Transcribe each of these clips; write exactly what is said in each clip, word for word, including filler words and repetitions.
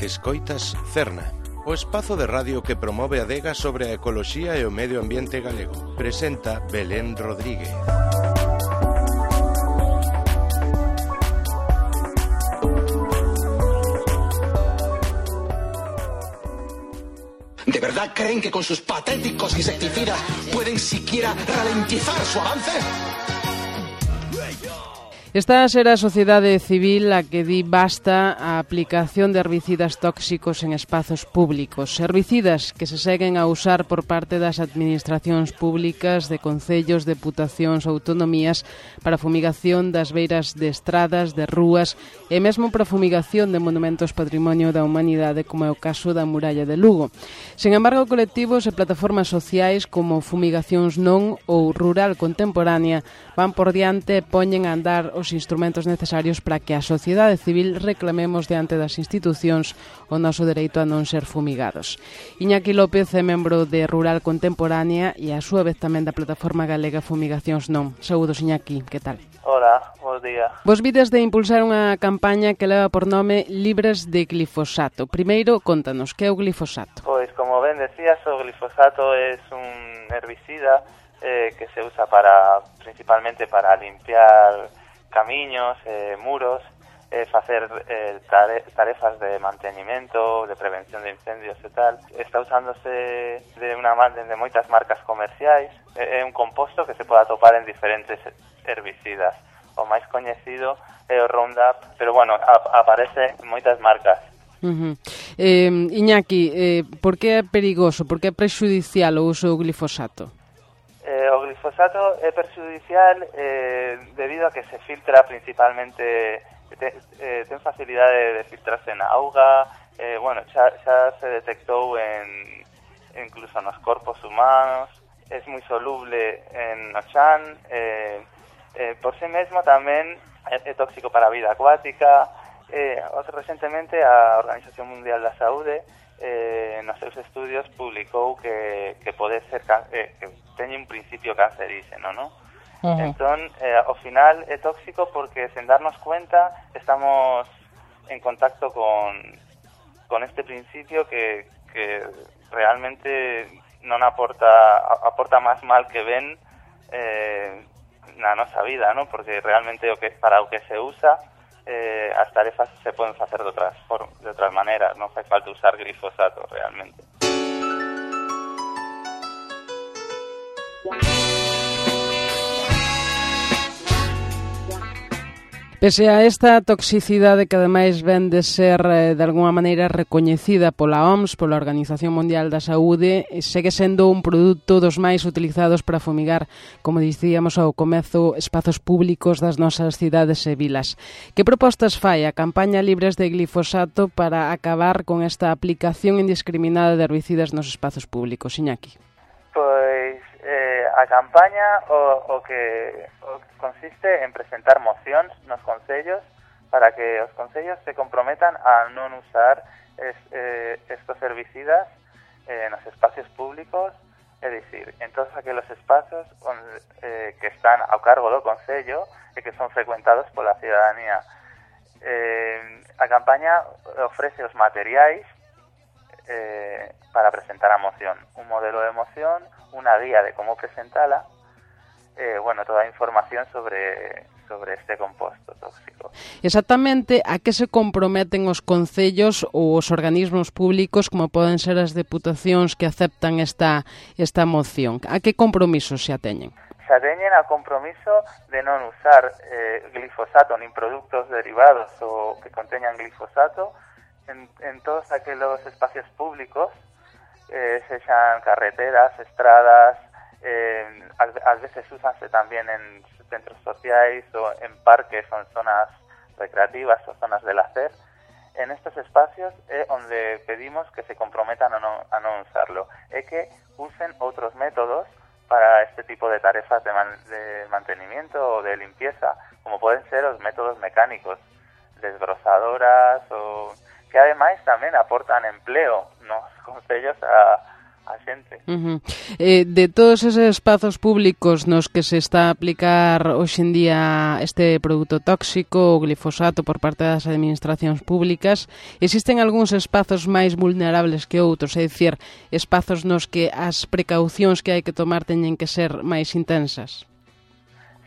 Escoitas Cerna, o espazo de radio que promove a adega sobre a ecoloxía e o medio ambiente galego. Presenta Belén Rodríguez. ¿De verdad creen que con sus patéticos insecticidas pueden siquiera ralentizar su avance? Esta será a sociedade civil a que di basta a aplicación de herbicidas tóxicos en espazos públicos. Herbicidas que se seguen a usar por parte das administracións públicas de concellos, deputacións, autonomías para fumigación das beiras de estradas, de rúas e mesmo para fumigación de monumentos patrimonio da humanidade, como é o caso da muralla de Lugo. Sen embargo, colectivos e plataformas sociais como Fumigacións Non ou Rural Contemporánea van por diante e poñen a andar os instrumentos necesarios para que a sociedade civil reclamemos diante das institucións o noso dereito a non ser fumigados. Iñaki López é membro de Rural Contemporánea e a súa vez tamén da plataforma galega Fumigacións Non. Saúdos, Iñaki, que tal? Hola, bos días. Vos vides de impulsar unha campaña que leva por nome Libres de Glifosato. Primeiro, contanos, que é o glifosato? Pois, como ben decías, o glifosato é un herbicida eh, que se usa para principalmente para limpiar camiños, eh, muros, eh, facer eh, tare tarefas de mantenimento, de prevención de incendios e tal. Está usándose de unha de moitas marcas comerciais. É un composto que se pode atopar en diferentes herbicidas. O máis coñecido é o Roundup, pero bueno, a aparece en moitas marcas. Uh-huh. eh, Iñaki, eh, por que é perigoso, por que é prexudicial o uso do glifosato? Eh, o glifosato é perxudicial eh, debido a que se filtra principalmente, te, eh, ten facilidade de filtrarse na auga, eh, bueno, xa, xa se detectou en, incluso nos corpos humanos, é moi soluble en no chan, eh, eh, por si mesmo tamén é, é tóxico para a vida acuática. Eh, recentemente a Organización Mundial da Saúde eh, nos seus estudios publicou que, que pode ser eh, que teñe un principio cancerígeno, ¿no? Uh-huh. Entón, eh, ao final é tóxico porque sen darnos cuenta estamos en contacto con, con este principio que, que realmente non aporta aporta máis mal que ben eh, na nosa vida, ¿no? Porque realmente o que para o que se usa Eh, as tarefas se poden facer de outras, por, de outras maneiras, non fai falta usar glifosato realmente. Pese a esta toxicidade que ademais ven de ser eh, de alguma maneira recoñecida pola O M S, pola Organización Mundial da Saúde, segue sendo un produto dos máis utilizados para fumigar, como dicíamos ao comezo, espazos públicos das nosas cidades e vilas. Que propostas fai a campaña Libres de Glifosato para acabar con esta aplicación indiscriminada de herbicidas nos espazos públicos, Iñaki? Pois eh, a campaña o, o que o consiste en presentar mocións nos concellos para que os concellos se comprometan a non usar es, eh, estos herbicidas eh, nos espacios públicos, é dicir, en todos aqueles espazos onde, eh, que están ao cargo do concello e que son frecuentados pola cidadanía. Eh, a campaña ofrece os materiais Eh, para presentar a moción, un modelo de moción, unha guía de como presentala, eh, bueno, toda a información sobre sobre este composto tóxico. Exactamente, a que se comprometen os concellos ou os organismos públicos, como poden ser as deputacións que aceptan esta esta moción? A que compromisos se ateñen? Se ateñen ao compromiso de non usar eh, glifosato nin produtos derivados ou que conteñan glifosato En, en todos aqueles espacios públicos, eh, sexan carreteras, estradas, eh, ás veces úsanse tamén en centros sociais ou en parques ou en zonas recreativas ou zonas de lazer. En estes espacios é onde pedimos que se comprometan a non, a non usarlo, e que usen outros métodos para este tipo de tarefas de, man, de mantenimiento ou de limpieza, como poden ser os métodos mecánicos, desbrozadoras ou que ademais tamén aportan empleo nos concellos a, a xente. Uh-huh. Eh, de todos eses espazos públicos nos que se está a aplicar hoxe en día este produto tóxico, o glifosato, por parte das administracións públicas, existen algúns espazos máis vulnerables que outros, é dicir, espazos nos que as precaucións que hai que tomar teñen que ser máis intensas?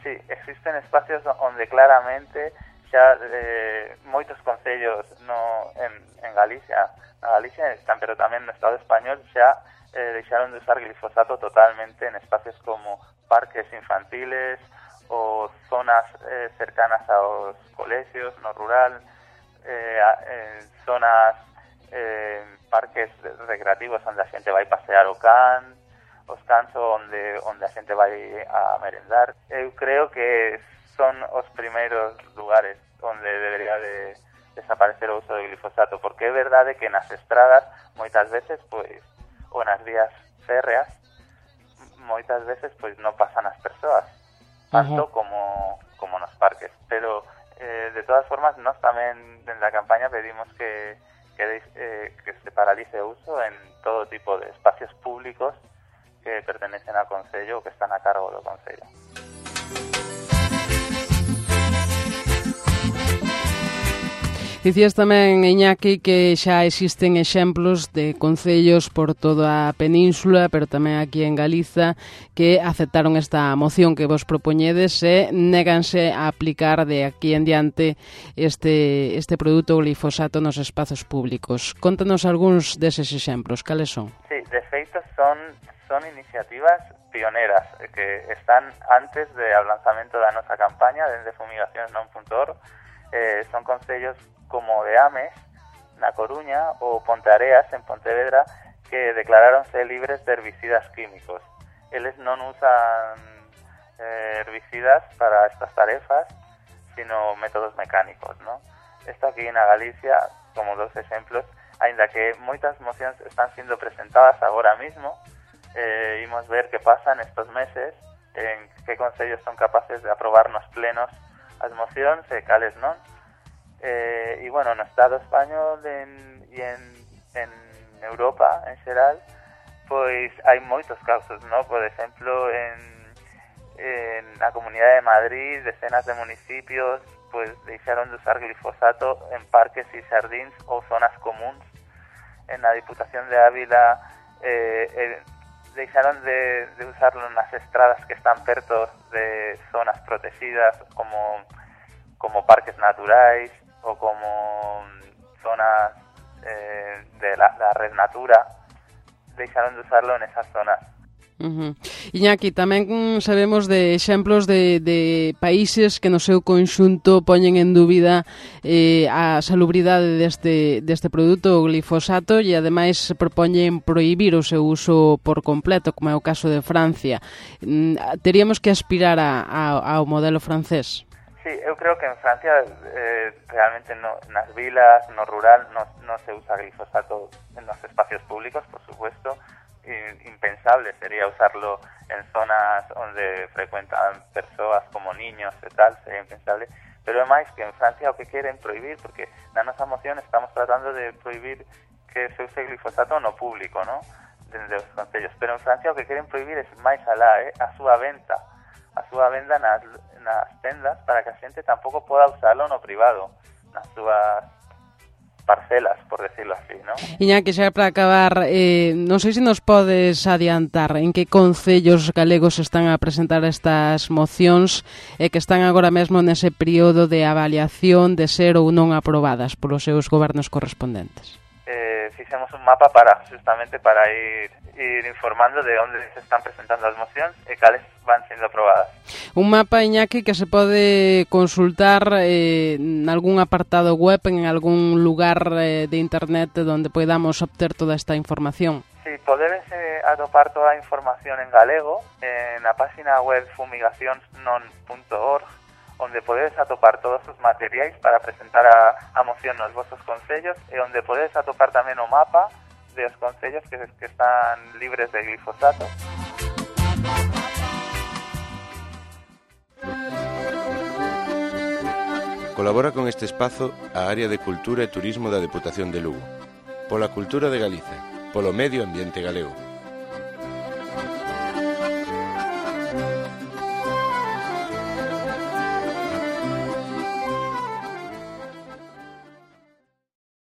Sí, existen espacios onde claramente xa eh, moitos concellos no, en, en Galicia, na Galicia, pero tamén no Estado español, xa eh, deixaron de usar glifosato totalmente en espacios como parques infantiles ou zonas eh, cercanas aos colexios, no rural, eh, eh, zonas, eh, parques recreativos onde a xente vai pasear o can, os cans onde, onde a xente vai a merendar. Eu creo que son os primeiros lugares onde debería de desaparecer o uso de glifosato, porque é verdade que nas estradas moitas veces, pois, ou nas vías férreas, moitas veces pois non pasan as persoas, tanto uh-huh. como, como nos parques. Pero, eh, de todas formas, nós tamén, dende a campaña, pedimos que, que, eh, que se paralice o uso en todo tipo de espacios públicos que pertenecen ao Concello ou que están a cargo do Concello. Dicías tamén, Iñaki, que xa existen exemplos de concellos por toda a península, pero tamén aquí en Galiza, que aceptaron esta moción que vos propoñedes e néganse a aplicar de aquí en diante este, este produto glifosato nos espazos públicos. Contanos algúns deses exemplos, cales son? Sí, de feito son, son iniciativas pioneras que están antes do lanzamento da nosa campaña dende fumigacións non punto org. Eh, son concellos como de Ames, na Coruña, ou Ponteareas, en Pontevedra, que declaráronse libres de herbicidas químicos. Eles non usan eh, herbicidas para estas tarefas, sino métodos mecánicos, ¿no? Esto aquí na Galicia, como dos exemplos, aínda que moitas mocións están sendo presentadas agora mismo, eh, imos ver que pasan estos meses, en que concellos son capaces de aprobar nos plenos as mocións e cales non. Eh, e, bueno, no Estado español en, e en, en Europa, en xeral, pois hai moitos casos, ¿no? Por exemplo, en, en a Comunidade de Madrid, decenas de municipios pois deixaron de usar glifosato en parques e xardíns ou zonas comuns. En a Diputación de Ávila eh, eh, deixaron de, de usarlo nas estradas que están perto de zonas protegidas como, como parques naturais ou como zonas eh, de la, la Red Natura. Deixaron de usarlo en esas zonas. Uh-huh. Iñaki, tamén sabemos de exemplos de, de países que no seu conxunto poñen en dúbida eh, a salubridade deste, deste produto, o glifosato, e ademais propoñen prohibir o seu uso por completo, como é o caso de Francia. Mm, teríamos que aspirar a, a, ao modelo francés? Sí, eu creo que en Francia eh, realmente no, nas vilas, no rural, no, no se usa glifosato en los espacios públicos, por supuesto. Impensable sería usarlo en zonas onde frecuentan persoas como niños e tal, sería impensable, pero é máis que en Francia o que queren prohibir, porque na nosa moción estamos tratando de prohibir que se use glifosato no público, ¿no? Dende os concellos, pero en Francia o que queren prohibir é máis alá, eh? a súa venta a súa venda nas, nas tendas para que a xente tampouco poda usarlo no privado, nas súas parcelas, por decirlo así, ¿no? Iñaki, xa para acabar, eh, non sei se nos podes adiantar en que concellos galegos están a presentar estas mocións e que están agora mesmo nese período de avaliación de ser ou non aprobadas polos seus gobernos correspondentes. Eh, fixemos un mapa para justamente para ir, ir informando de onde se están presentando as mocións e cales van sendo aprobadas. Un mapa, Iñaki, que se pode consultar eh, en algún apartado web, en algún lugar eh, de internet donde podamos obter toda esta información. Sí, podedes eh, atopar toda a información en galego en a página web fumigacións non punto org, onde podedes atopar todos os materiais para presentar a, a moción nos vosos concellos e onde podedes atopar tamén o mapa de os concellos que, que están libres de glifosato. Colabora con este espazo a Área de Cultura e Turismo da Deputación de Lugo. Pola cultura de Galiza, polo medio ambiente galego.